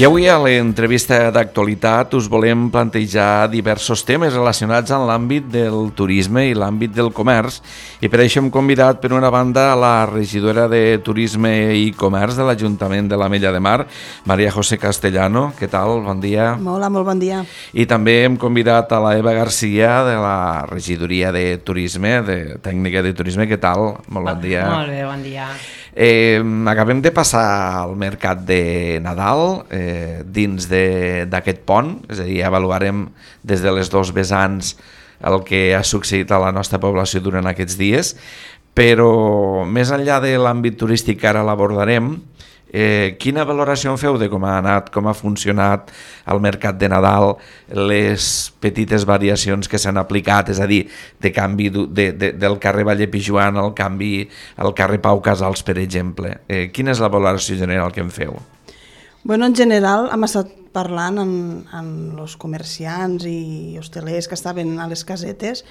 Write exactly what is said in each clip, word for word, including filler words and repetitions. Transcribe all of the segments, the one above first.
avui a l'entrevista d'actualitat us volem plantejar diversos temes relacionats amb l'àmbit del turisme i l'àmbit del comerç, i per això hem convidat per una banda a la regidora de Turisme i Comerç de l'Ajuntament de l'Ametlla de Mar, María José Castellano. Què tal? Bon dia. Hola, molt bon dia. I també hem convidat a la Eva Garcia de la regidoria de Turisme, de tècnica de turisme. Què tal? Molt bon dia. Molt bé, bon dia. Eh, acabem de passar al mercat de Nadal eh, dins d'aquest pont, és a dir, avaluarem des de les dos vessants el que ha succeït a la nostra població durant aquests dies, però més enllà de l'àmbit turístic que ara l'abordarem, Eh, quina valoració en feu de com ha anat, com ha funcionat el mercat de Nadal, les petites variacions que s'han aplicat, és a dir, de canvi de, de, del carrer Valle Pijuan al canvi al carrer Pau Casals, per exemple? Eh, quina és la valoració general que en feu? Bueno, en general hem estat parlant amb, amb els comerciants i hostelers que estaven a les casetes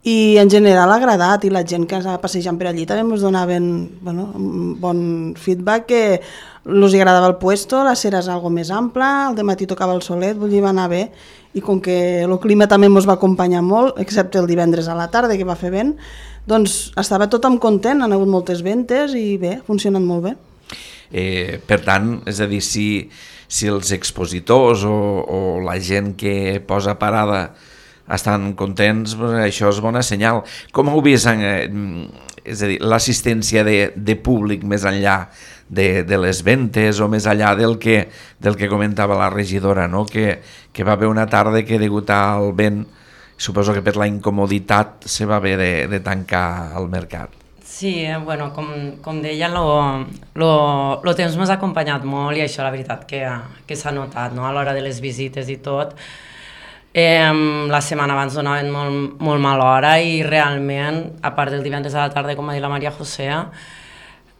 i en general ha agradat, i la gent que estava passejant per allí també ens donaven bueno, un bon feedback, que els agradava el puesto, la cera és algo més ampla, al dematí tocava el solet, vull dir, va anar bé, i com que el clima també ens va acompanyar molt, excepte el divendres a la tarda que va fer vent, doncs estava tothom content, han hagut moltes ventes i bé, ha funcionat molt bé. Eh, per tant, és a dir, si, si els expositors o, o la gent que posa parada estan contents, això és bona senyal. Com heu vist, eh, és a dir, l'assistència de, de públic més enllà de, de les ventes o més enllà del que, del que comentava la regidora, no? que, que va haver una tarda que degut al vent, suposo que per la incomoditat se va haver de, de tancar el mercat. Sí, bueno, com, com deia, el temps m'ha acompanyat molt i això la veritat que, que s'ha notat, no? A l'hora de les visites i tot. Eh, la setmana abans donaven molt, molt mala hora i realment, a part del divendres a la tarda, com va dir la Maria José,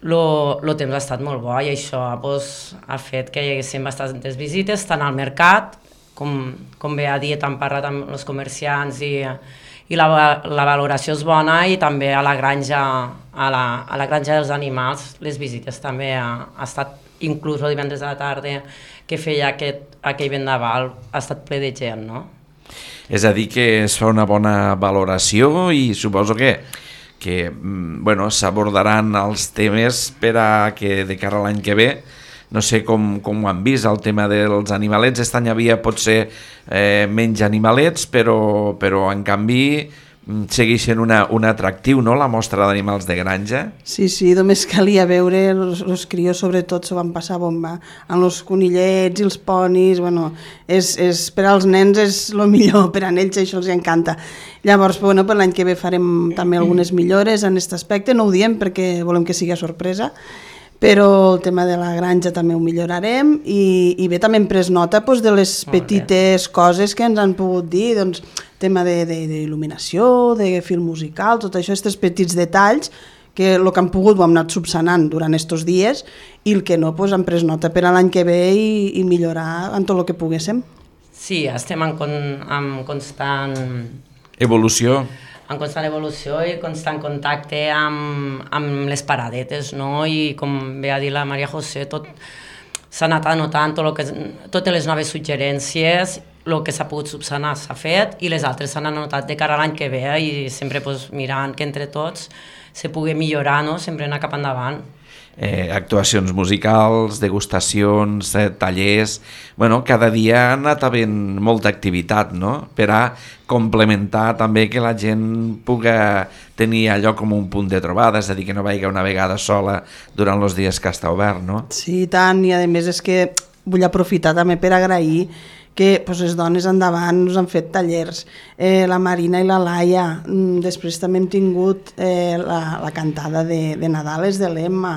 el temps ha estat molt bo i això pues, ha fet que hi haguessin bastantes visites, tant al mercat, com, com bé ha dit, han parlat amb els comerciants i... i la, la valoració és bona, i també a la granja, a la, a la granja dels animals, les visites també ha, ha estat, inclús el divendres a la tarda que feia aquest, aquell vendaval, ha estat ple de gent, no? És a dir, que es fa una bona valoració i suposo que, que bueno, s'abordaran els temes per a que de cara a l'any que ve, no sé com, com ho han vist, el tema dels animalets. Aquest any havia potser eh, menys animalets, però, però en canvi segueix sent una, un atractiu, no?, la mostra d'animals de granja. Sí, sí, només calia veure, els crios sobretot s'ho van passar bomba, amb els conillets i els ponis, bueno, és, és, per als nens és el millor, per a ells això els encanta. Llavors, bueno, per l'any que ve farem també algunes millores en aquest aspecte, no ho diem perquè volem que sigui sorpresa, però el tema de la granja també ho millorarem, i, i bé, també hem pres nota doncs, de les petites coses que ens han pogut dir, doncs, tema d'il·luminació, de, de fil musical, tot això, aquests petits detalls, que el que han pogut ho hem anat subsanant durant aquests dies, i el que no, doncs, hem pres nota per a l'any que ve i, i millorar en tot el que poguéssim. Sí, estem en, con, en constant... Evolució. En constant evolució i constant contacte amb, amb les paradetes, no? I com bé ha dit la Maria José, tot s'ha anat anotant, tot que, totes les noves suggerències, el que s'ha pogut subsanar s'ha fet, i les altres s'han anotat de cara a l'any que ve, i sempre pues, mirant que entre tots se pugui millorar, no? Sempre anar cap endavant. Eh, actuacions musicals, degustacions, eh, tallers... Bueno, cada dia ha anat havent molta activitat, no?, per a complementar també que la gent pugui tenir allò com un punt de trobada, és a dir, que no vagi una vegada sola durant els dies que està obert, no? Sí, tant, i a més és que vull aprofitar també per agrair que pues, les dones endavant us han fet tallers, eh, la Marina i la Laia, després també hem tingut eh, la, la cantada de, de Nadales de l'Emma,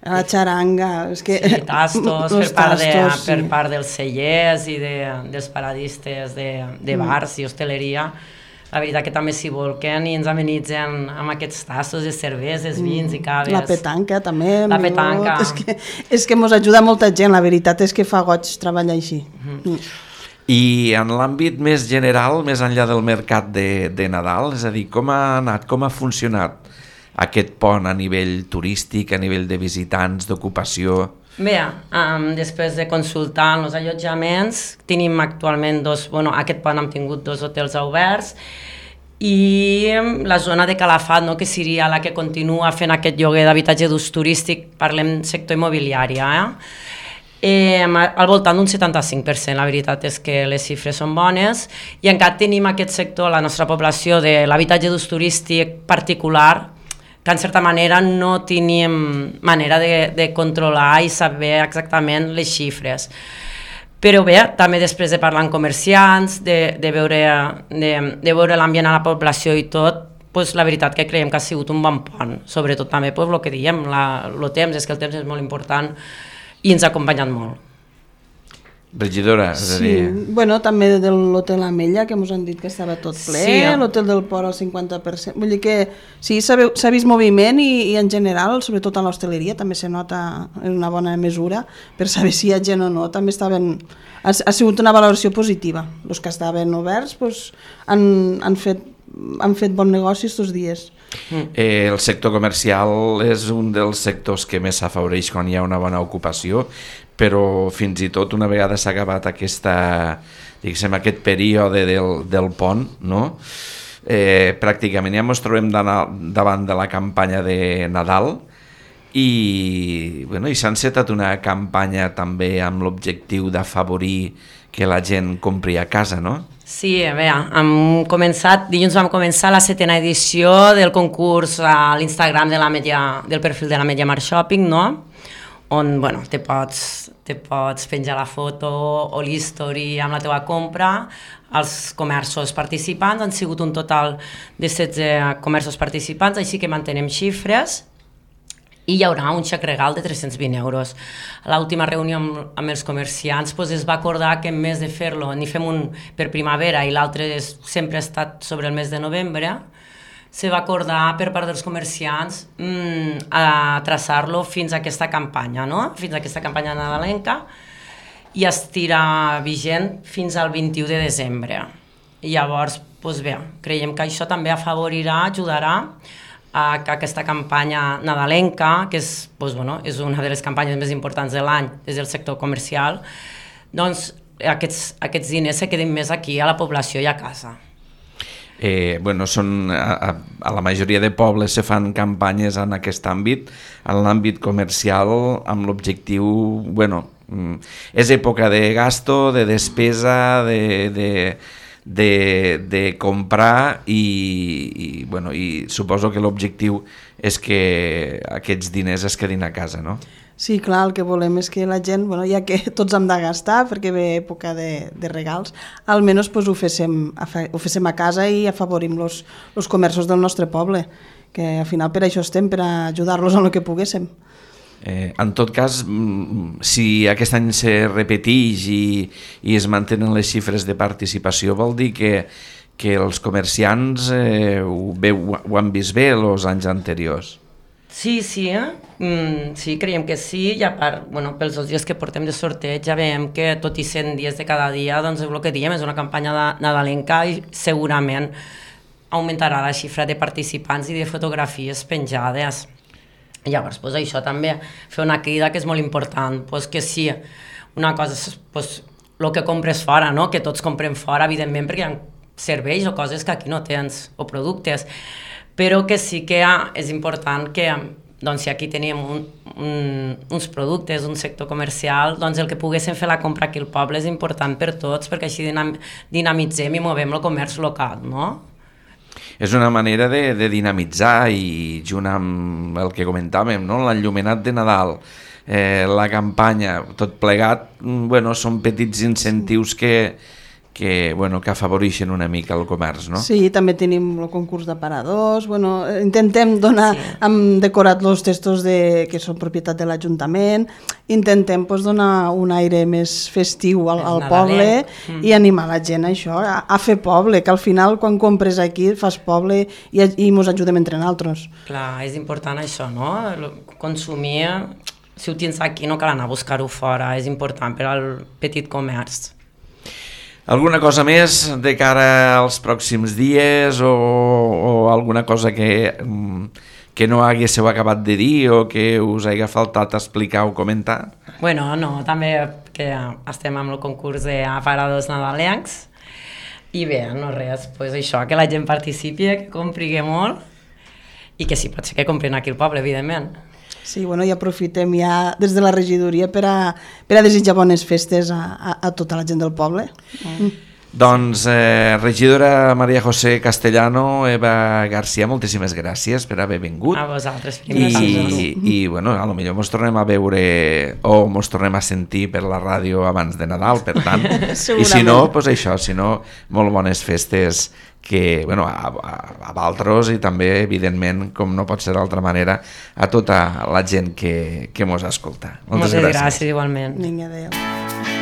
la xaranga... És que, sí, tastos, per part, tastos de, sí. per part dels cellers i de, dels paradistes de, de bars mm. i hostaleria. La veritat que també s'hi volquen i ens amenitzen amb aquests tastos de cerveses, vins mm. i caves. La petanca també. La petanca. És que, és que mos ajuda molta gent, la veritat és que fa goig treballar així. Mm-hmm. Mm. I en l'àmbit més general, més enllà del mercat de, de Nadal, és a dir, com ha anat, com ha funcionat aquest pont a nivell turístic, a nivell de visitants, d'ocupació? Bé, um, després de consultar els allotjaments, tenim actualment dos, bueno, aquest pont hem tingut dos hotels oberts, i la zona de Calafat, no, que seria la que continua fent aquest lloguer d'habitatge d'ús turístic, parlem sector immobiliari, eh? Eh, al voltant d'un setanta-cinc per cent, la veritat és que les xifres són bones, i encara tenim aquest sector, la nostra població, de l'habitatge d'ús turístic particular, que en certa manera no tenim manera de, de controlar i saber exactament les xifres. Però bé, també després de parlar amb comerciants, de, de veure, de, de veure l'ambient a la població i tot, pues, la veritat que creiem que ha sigut un bon pont, sobretot també pues, el que diem, la, el temps, és que el temps és molt important, i ens ha acompanyat molt. Regidora, és a dir... Sí, bueno, també de l'Hotel Amella, que ens han dit que estava tot ple, sí, eh? L'Hotel del Port al cinquanta per cent, vull dir que sí, s'ha vist moviment i, i en general, sobretot a l'hostaleria, també se nota en una bona mesura per saber si hi ha gent o no, també estaven... Ha, ha sigut una valoració positiva. Els que estaven oberts pues, han, han, fet, han fet bon negoci aquests dies. Eh, el sector comercial és un dels sectors que més s'afavoreix quan hi ha una bona ocupació, però fins i tot una vegada s'ha acabat aquesta, diguéssim, aquest període del, del pont, no? eh, pràcticament ja ens trobem davant de la campanya de Nadal i, bueno, i s'ha encetat una campanya també amb l'objectiu d'afavorir que la gent compri a casa, no? Sí, a veure, hem començat, dilluns vam començar la setena edició del concurs a l'Instagram de la Media, del perfil de la Media Mar Shopping, no? On, bueno, te pots, te pots penjar la foto o l'history amb la teva compra. Els comerços participants han sigut un total de setze comerços participants, així que mantenem xifres, i hi haurà un xec regal de tres-cents vint euros. A l'última reunió amb, amb els comerciants pues, es va acordar que en més de fer-lo, n'hi fem un per primavera i l'altre sempre ha estat sobre el mes de novembre, se va acordar per part dels comerciants mmm, a traçar-lo fins a aquesta campanya, no? Fins a aquesta campanya nadalenca, i estirà vigent fins al vint-i-u de desembre. I llavors, doncs bé, creiem que això també afavorirà, ajudarà a que aquesta campanya nadalenca, que és, doncs, bueno, és una de les campanyes més importants de l'any des del sector comercial, doncs aquests, aquests diners se quedin més aquí a la població i a casa. Eh, bueno, són, a, a la majoria de pobles se fan campanyes en aquest àmbit, en l'àmbit comercial, amb l'objectiu, bueno, és època de gasto, de despesa, de, de, de, de comprar i, i, bueno, i suposo que l'objectiu és que aquests diners es quedin a casa, no? Sí, clar, el que volem és que la gent, bueno, ja que tots hem de gastar perquè ve època de, de regals, almenys pues, ho, féssim, ho féssim a casa i afavorim els comerços del nostre poble, que al final per això estem, per ajudar-los en el que poguéssim. Eh, en tot cas, si aquest any se repeteix i, i es mantenen les xifres de participació, vol dir que, que els comerciants eh, ho, bé, ho han vist bé els anys anteriors. Sí, sí, eh? mm, sí, creiem que sí, i a part, bueno, pels dos dies que portem de sorteig ja veiem que tot i cent dies de cada dia, doncs el que diem és una campanya de, nadalenca i segurament augmentarà la xifra de participants i de fotografies penjades. Llavors, pues, això també, fer una crida que és molt important, pues, que sí, una cosa és pues, el que compres fora, no? Que tots comprem fora, evidentment, perquè hi ha serveis o coses que aquí no tens, o productes, però que sí que és important que, doncs, si aquí tenim un, un, uns productes, un sector comercial, doncs el que poguéssim fer la compra aquí al poble és important per tots, perquè així dinam, dinamitzem i movem el comerç local, no? És una manera de, de dinamitzar i junt amb el que comentàvem, no? L'enllumenat de Nadal, eh, la campanya, tot plegat, bueno, són petits incentius que, que, bueno, que afavoreixen una mica el comerç, no? Sí, també tenim el concurs d'aparadors, bueno, intentem donar, sí. Hem decorat els testos de, que són propietat de l'Ajuntament, intentem pues, donar un aire més festiu al, al poble mm. i animar la gent a això, a, a fer poble, que al final quan compres aquí fas poble i, i ens ajudem entre nosaltres. Clar, és important això, no? Consumir, si ho tens aquí no cal anar a buscar-ho fora, és important per al petit comerç. Alguna cosa més de cara als pròxims dies o, o alguna cosa que, que no haguéssiu acabat de dir o que us hagi faltat explicar o comentar? Bueno, no, també que estem amb el concurs d'aparadors nadalencs i bé, no res, pues això, que la gent participi, que compri molt i que sí, pot ser que comprin aquí al poble, evidentment. Sí, bueno, i aprofitem ja des de la regidoria per a, per a desitjar bones festes a, a, a tota la gent del poble. Mm. Doncs, eh, regidora Maria José Castellano, Eva García, moltíssimes gràcies per haver vingut. A vosaltres. I, i bueno, a lo millor mos tornem a veure o mos tornem a sentir per la ràdio abans de Nadal, per tant. I si no, pues això, si no, molt bones festes que, bueno, a, a, a Valtros i també, evidentment, com no pot ser d'altra manera, a tota la gent que, que mos escolta. Moltes, Moltes gràcies. gràcies, igualment. Vinga, adéu.